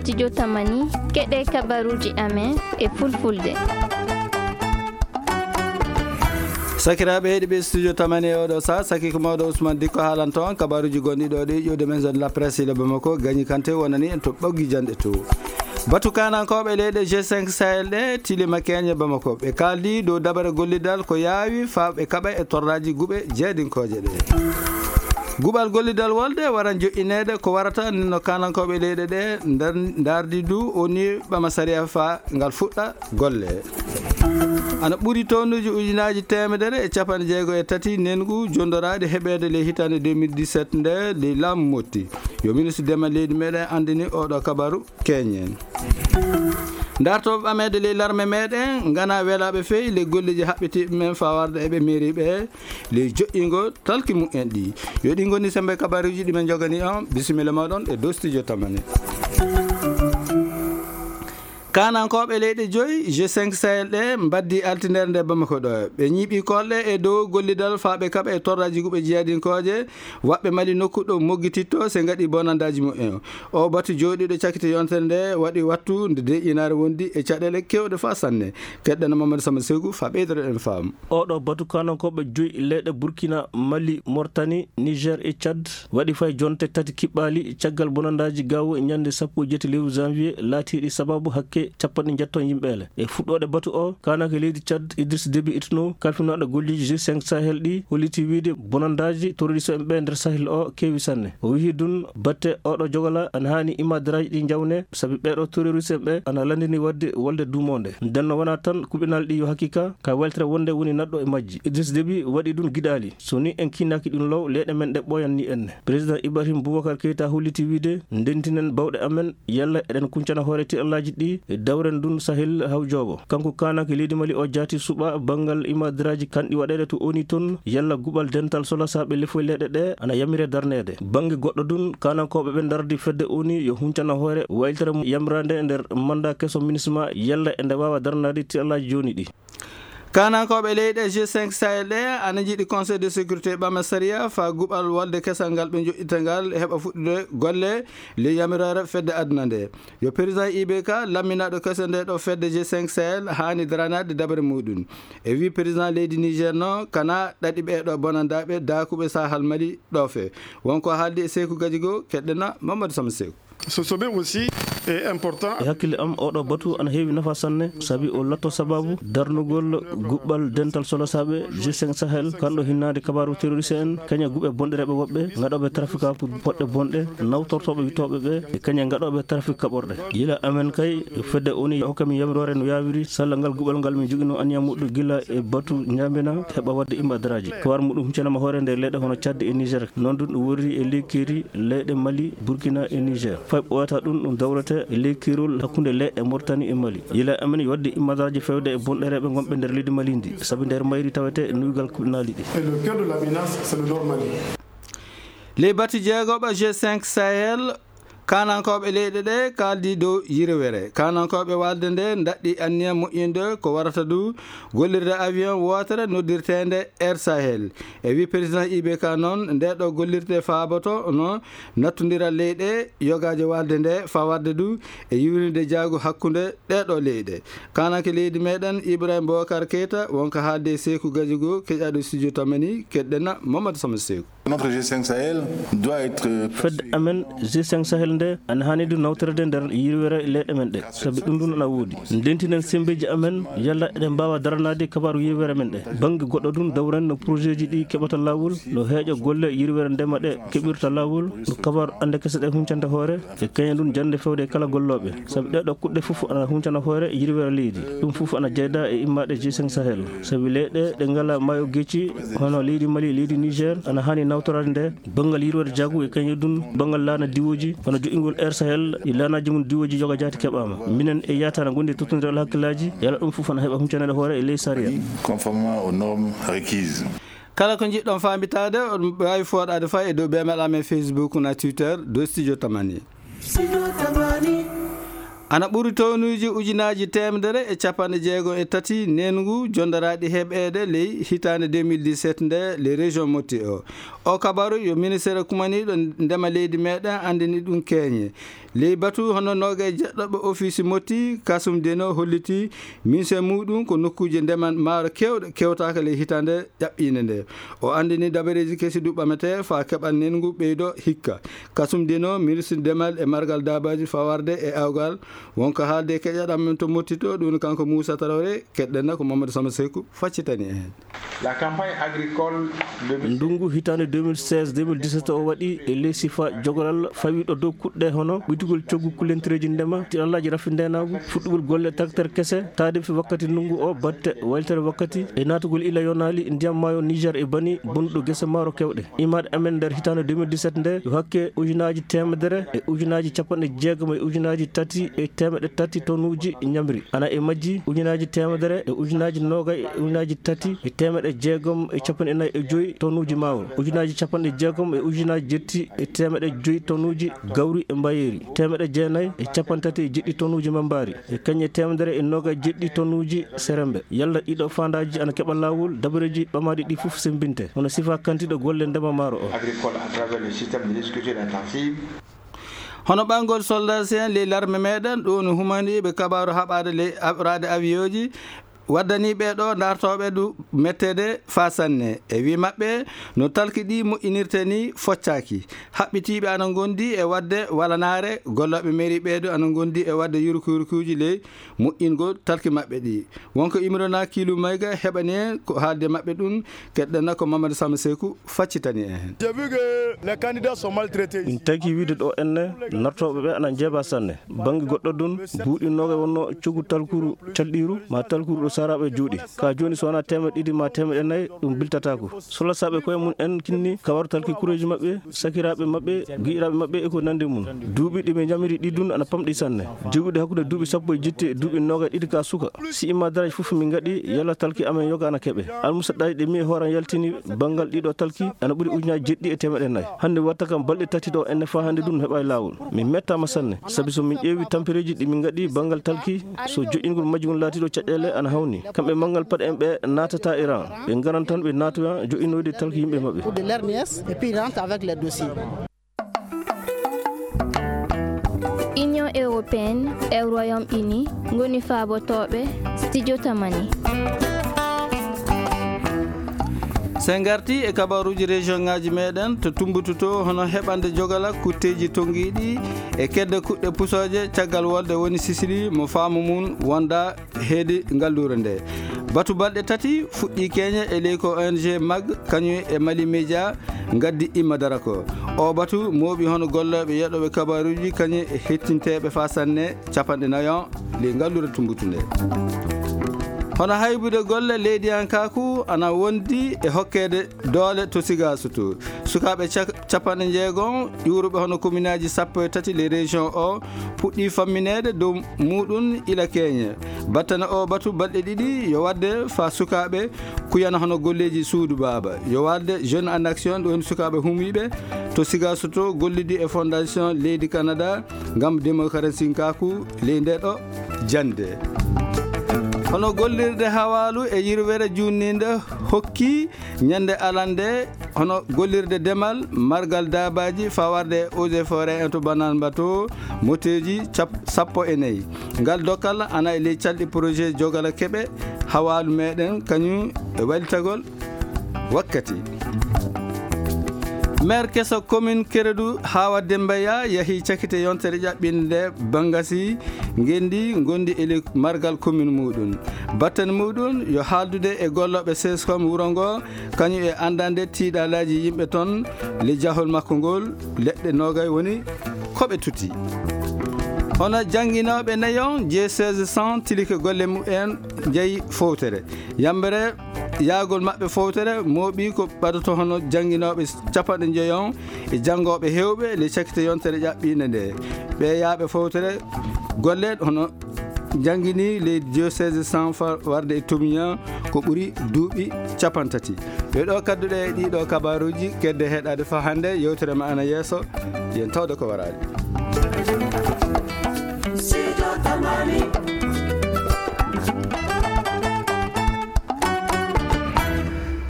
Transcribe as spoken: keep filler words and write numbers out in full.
Studio Tamani, keɗe kabaruji amen e fulfulde. Sakiraaɓe heɗiiɓe Studio Tamani e oɗo saha, saki ko mawɗo Ousmane Dikko haalanto on kabaruji gonɗi ɗo ɗi ƴuwde maison de la presse ila Bamako, Gagny Kanté wonani en to ɓoggi janɗe to. Batu kanankooɓe leyɗe G cinq Sahel ɗe tilima keñe Bamako. Ɓe kaaldi dow dabare gollidal ko yaawi faa ɓe kaɓa e torraaji guɓe jeedinkooje ɗe. Guɓal gollidal wolde waran joƴƴineede ko warata ni no kanankooɓe leyɗe ɗe ndar-, ndardi du o ni ɓama sariya faa ngal fuɗɗa golle. Ana ɓuri tonnuji ujunaaji teemedere e capanɗe jeego e tati nengu jondoraaɗi heɓeede ley hitaande deux mille dix-sept nde ley laamu Motti. Yo ministre dema leydi meɗen anndini oɗo kabaru keñen. Dartooɓe ɓameede ley larme meɗen ngana welaaɓe fey ley golleji haɓɓitiiɓe men faa warde e ɓe mairie ɓe ley joƴƴingo talki mumen ɗi. Yo ɗi ngoni sembe kabaruji ɗi men jogani on. Bisimilla moɗon e dow Studio Tamani. Kanankooɓe leyɗe joyi G cinq Sahel ɗe mbaddi altindere nde Bamako ɗo. Ɓe ñiiɓi kolle e dow gollidal faa ɓe kaɓa e torraaji guɓe jeedinkooje, waɓɓe Mali nokku ɗo moggititto se ngaɗi bonandaaji mumen. O batu jooɗiiɗo cakite yontere nde waɗi wattu nde deƴƴinaare wondi e caɗeele kewɗe faa sanne. Keɗɗen Mamadou Sama Segu faa ɓeydoro en faamu. Oɗo batu kanankooɓe joyi leyɗe Burkina, Mali, Mauritanie, Niger e Tchad waɗi fay jonte tati kiɓɓaali caggal bonandaaji gawo e ñande sappo e jeetati lewru janvier laatiiɗi sababu hakke capanɗe njetto yimɓeele. E fuɗɗoode batu o, kananke leydi Tchad Idriss Déby Itno, kalfinaaɗo golleji G cinq Sahel ɗi, holliti wiide bonandaaji terroriste en ɓe nder Sahel o keewi sanne. O wihi dun batte oɗo jogala ana haani imadaraaji ɗi jawne, sabi ɓeɗo terroriste en ɓe ana landini wadde wolde duumonde. Nden no wona tan kuɓinaali ɗi yo haqiqa ka weltere wonde woni naɗɗo e majji. Idriss Déby waɗi dun giɗaali. So ni en kiinaaki ɗun law, leyɗe men ɗe ɓooyan ni enne. Président Ibrahim Boubacar Keita holliti wiide, ndentinen bawɗe amen, yalla eɗen kuncana hoore tiɗallaaji ɗi, e dawren dun Sahel haw jooɓo. Kanko kananke leydi Mali o jaati suɓa banngal imadaraaji kanɗi waɗeede to oni ton, yalla guɓal dental solasaaɓe lefoy leyɗe ɗe ana yamire darneede. Bannge goɗɗo dun, kanankooɓe ɓe ndardi fedde oni yo huncana hoore waylitere mum yamiraande nder manda keso minisma, yalla e nde waawa darnaade tiɗallaaji jooni ɗi. Kanankooɓe leyɗe G cinq Sahel ɗe ana njiɗi Conseil de sécurité ɓama sariya faa guɓal wolde kesal ngal ɓe njoƴƴita ngal heɓa fuɗɗude golle ley yamiroore fedde aduna nde. Yo président I B K lamminaaɗo keso nde ɗo fedde G cinq Sahel haani daranaade dabare muɗum. E wii président leydi Niger no kana ɗaɗi ɓe ɗo bonandaaɓe daakuɓe Sahel Mali ɗo fe. Wonko haaldi e Seeku Gajigo, keɗɗena Mamadou Sama Seeku. Ce sommet aussi est important. E hakkille am, oɗo batu ana heewi nafa sanne, sabi o latto sababu darnugol guɓɓal dental solasaaɓe G cinq Sahel, kanɗo hinnaade kabaaru terroriste en, kaña guɓe bonɗereeɓe woɓɓe, ngaɗooɓe trafika pour poɗɗe bonɗe, nawtortooɓe wittooɓe ɓe, e kaña ngaɗooɓe trafik kaɓorɗe. Yila amen kay, fedde oni hokka min yamiroore no yaawiri, salla ngal guɓal ngal min jogino aniya muɗɗo gila e batu ñaamina, heɓa waɗde imadaraaji. Kawar muɗum huccanama hoore nder leyɗe hono Tchad e Niger. Noon ɗum ɗum worri e ley keeri leyɗe Mali, Burkina e Niger. Fay ɓooyata ɗum, ɗum dawrete e ley keerol hakkunde leyɗe Mauritanie e Mali. Yila amen yo waɗde imadaraaji fewde e bonɗereeɓe ngonɓe nder leydi Mali ndi, sabi nder mayri tawete e nuygal kuɓinaali ɗi. Et le cœur de la menace, c'est le nord Mali. Ley batu jeegoɓa G cinq Sahel, kanankooɓe leyɗe ɗe kaaldi dow yirwere. Kanankooɓe waalde nde ndaɗɗi anniya moƴƴinde ko warata du gollirde avion wootere noddirteende Air Sahel. E wi président I B K noon, nde ɗo gollirde faaboto no nattondiral leyɗe yogaaje waalde nde fawarde du e yiwrinde jaagu hakkunde ɗe ɗo leyɗe. Kananke leydi meɗen Ibrahim Boubacar Keita wonko haalde e Seeku Gajigo, keƴaɗo studio Tamani, keɗɗena Mamadou Sama Seeku. Notre G cinq Sahel doit être fedde amen G cinq Sahel nde ana haani du nawtorede nder yirwere leyɗe men ɗe, sabi ɗum ɗum ana woodi. Ndentinen sembeeji amen, yalla eɗen mbaawa daranaade kabaaru yirwere men ɗe. Bannge goɗɗo ɗum, dawren no projet ji ɗi keɓata laawol, no heeƴa golle yirwere ndema ɗe keɓirta laawol, no kabaaru annde kese ɗe huncanta hoore, e kañum ɗum jannde fewde e kala gollooɓe. Sabi ɗee ɗoo kuɗɗe fof ana huncana hoore yirwere leydi. Ɗum fof ana jeyda e immaade G cinq Sahel. Sabi leyɗe ɗe ngala maayo gecci, hono leydi Mali, leydi Niger, ana haani nawtoraade nde banngal yirwere jaagu e kañum ɗum banngal laana diwooji, hono joƴƴingol Air Sahel e laanaaji mum diwooji yoga jaati keɓaama. Minen e yaata na ngondi e tottondiral hakkillaaji, yalla ɗum fof ana heɓa huncanaade hoore e ley sariya. Conformément aux normes requises. Kala ko njiɗɗon faamitaade, on mbaawi fooɗaade fay e dow beemel amen Facebook na Twitter, dow Studio Tamani. Studio Tamani. Ana ɓuri townuuji ujunaaji teemedere e capanɗe jeegom e tati neengu jonndaraaɗi heɓeede ley hitaande deux mille dix-sept nde ley région Motti o. O kabaru yo ministeere kumaniiɗo ndema leydi meeɗen anndini ɗum keeñe. Ley batu hono noogay jeɗɗoɓe ofiisi Motti, Kasum Deno holliti minse muɗum ko nokkuuje ndema maaro keewɗe kewtaaka ley hitaande ƴaɓɓiinde nde. O anndini dabareeji kesi du ɓametee faa keɓal neengu ɓeydo hikka. Kasum Deno, ministre ndemal e margal daabaaji fawarde e awgal, wonko haalde e keƴaɗam men to Motti to, ɗum kanko Moussa Traoré, keɗɗen na ko Mamadou Samba Seku faccitani en. La campagne agricole de Ndungu hitaande deux mille seize deux mille dix-sept o waɗi e ley sifa jogoralla fawiiɗo dow kuɗɗe hono ɓuytugol coggu kulentireeji ndema, tiɗallaaji rafi ndeenaagu, fuɗɗugol golle tracteur kese, taade fi wakkati ndungu o, batte waylitere wakkati, e naatugol ila yonaali ndiyam maayo Niger e bani bonnuɗo gese maaro kewɗe. Imaade amen nder hitaande deux mille dix-sept nde, yo hakke ujunaaji teemedere e ujunaaji capanɗe jeegom e ujunaaji tati e teemeɗɗe tati tonuuji ñamri. Ana e majji ujunaaji teemedere e ujunaaji noogay e ujunaaji tati e teemeɗɗe jeegom e capanɗe nayi e joyi tonuuji maaro. Ujunaaji capanɗe jeegom e ujunaaji jetti e teemeɗɗe joyi tonuuji gawri e mbayeeri. Teemeɗɗe jeenayi e capanɗe tati e jeɗɗi tonuuji mambaari. E kañe teemedere e noogay jeɗɗi tonuuji serembe. Yalla ɗiɗo faandaaji ana keɓa laawol, dabareeji ɓamaaɗi ɗi fof sembinte. Hono sifa kantiiɗo golle ndema maaro o. Agricole à travers le système de l'agriculture intensive. Hono ɓanngol soldat en ley larme meeɗen, ɗum no humaniiɓe kabaaru haɓaade ley aɓraade awiyooji, waddanii ɓee ɗo dartooɓe du metteede faa sanne. E wii maɓɓe, no talki ɗi moƴƴinirtee ni foccaaki. Haɓɓitiiɓe ana ngondi e waɗde walanaare, gollooɓe mairie ɓee du ana ngondi e waɗde yurkuyurkuuji ley moƴƴingol talki maɓɓe ɗi. Wonko Imrana Kiilu Mayga heɓani en ko haalde maɓɓe ɗum, keɗɗen na ko Mamadou Samba Seku faccitani en. J'ai vu que les candidats sont maltraités. Min tagi wiide ɗo enne, nartooɓe ɓe ana njeeba sanne. Bannge goɗɗo ɗum, buuɗi noogay wonno coggu talkuru calɗiiru, ma talkuru ɗo saaraaɓe juuɗi. Ka jooni so wonaa teemeɗɗe ɗiɗi ma teemeɗɗe nayi, ɗum biltataako. Solasaaɓe koye mum en kinni ka wartalki kureeji maɓɓe, sakiraaɓe maɓɓe, giɗiraaɓe maɓɓe e ko nanndi mum. Duuɓi ɗi ɓe njamiri ɗi dun ana pamɗi sanne. Joguɗi hakkunde duuɓi sappo e jetti e duuɓi noogay ɗiɗi ka suka. Si imma daraja fof min ngaɗi, yalla talki amen yoga ana keɓe. Almusa ɗaɗi ɗe mi e hooram yaltini banngal ɗiɗo talki ana ɓuri ujunaaji jeɗɗi e teemeɗɗe nayi. Hannde watta kam balɗe tati ɗo enne faa hannde dun heɓaay laawol. Min mettaama sanne, sabi so min ƴeewi tampereeji ɗi min ngaɗi banngal talki, so joƴƴingol majji ngun laatiiɗo caɗeele ana hawni. Kamɓe manngal paɗe en ɓe naatata e ran. Ɓe ngaran tan ɓe naatoya joƴƴinoyde talki yimɓe maɓɓe. Pour de l'R N S, et puis ils rentrent avec les dossiers. Union européenne e Royaume-Uni ngoni faabotooɓe studio Tamani. So en ngarti e kabaruuji région ŋaaji meeɗen to Tumbutu to, hono heɓande jogala kutteeji tonngiiɗi e kedde kuɗɗe pusooje caggal wolde woni Sisili mo faamu mum wonda heedi ngalluure nde. Batu balɗe tati fuɗɗii keeñe e ley ko O N G mag kañum e Mali Média ngaddi imma dara ko. O batu mooɓi hono gollooɓe yeɗooɓe kabaruuji kañum e hettinteeɓe faa sanne capanɗe nayon ley ngalluure Tumbutu nde. Hono haybude golle leydiyankaaku ana wondi e hokkeede doole to Sigaasu to. Sukaaɓe cak-, capanɗe jeegom ƴuuruɓe hono kominaaji sappo e tati ley région o puɗɗii fammineede dow muɗum ila keeñe. Battane o batu balɗe ɗiɗi yo waɗde faa sukaaɓe kuyana hono golleeji suudu baaba. Yo waɗde Jeunes en Action, ɗo woni sukaaɓe humiiɓe to Sigaasu to gollidi e Fondation Leydi Canada ngam démocratie kaaku ley nde ɗo jannde. Hono gollirde hawaalu e yirwere juutniinde hokki ñande alande, hono gollirde demal, margal daabaaji, fawarde e eaux et forêt en to Bananba to, moteeji cap-, sappo e nayi. Ngal dokkal ana e ley calɗi projet jogala keɓe hawaalu meeɗen, kañum e walitagol wakkati. Maire keso commune Keredu, Hawa Demba Ya, yahi cakite yontere ƴaɓɓinde nde bangasi ngendi gondi e ley margal commune muɗum. Batten muɗum yo haaldude e gollooɓe sescom wuro ngo, kañum e anndande tiiɗalaaji yimɓe toon, le jahol makko ngol, leɗɗe noogay woni ko ɓe tuti. Hono jannginooɓe nayon, J seize cent tilike golle mumen njeyi fowtere. Yambere yaagol maɓɓe fowtere mooɓi ko ɓadoto hono jannginooɓe capanɗe njeyon e janngooɓe heewɓe le cakite yontere ƴaɓɓiinde nde. Ɓe yaaɓe fowtere golle hono janngini leydi diocèse cent fa-, warde e Tomiya ko ɓuri duuɓi capanɗe tati. Ɓe ɗo kadduɗe e ɗiɗo kabaruuji kedde heɗaade fa hannde, yewtere ma ana yeeso, yen tawde ko waraade. Tamani,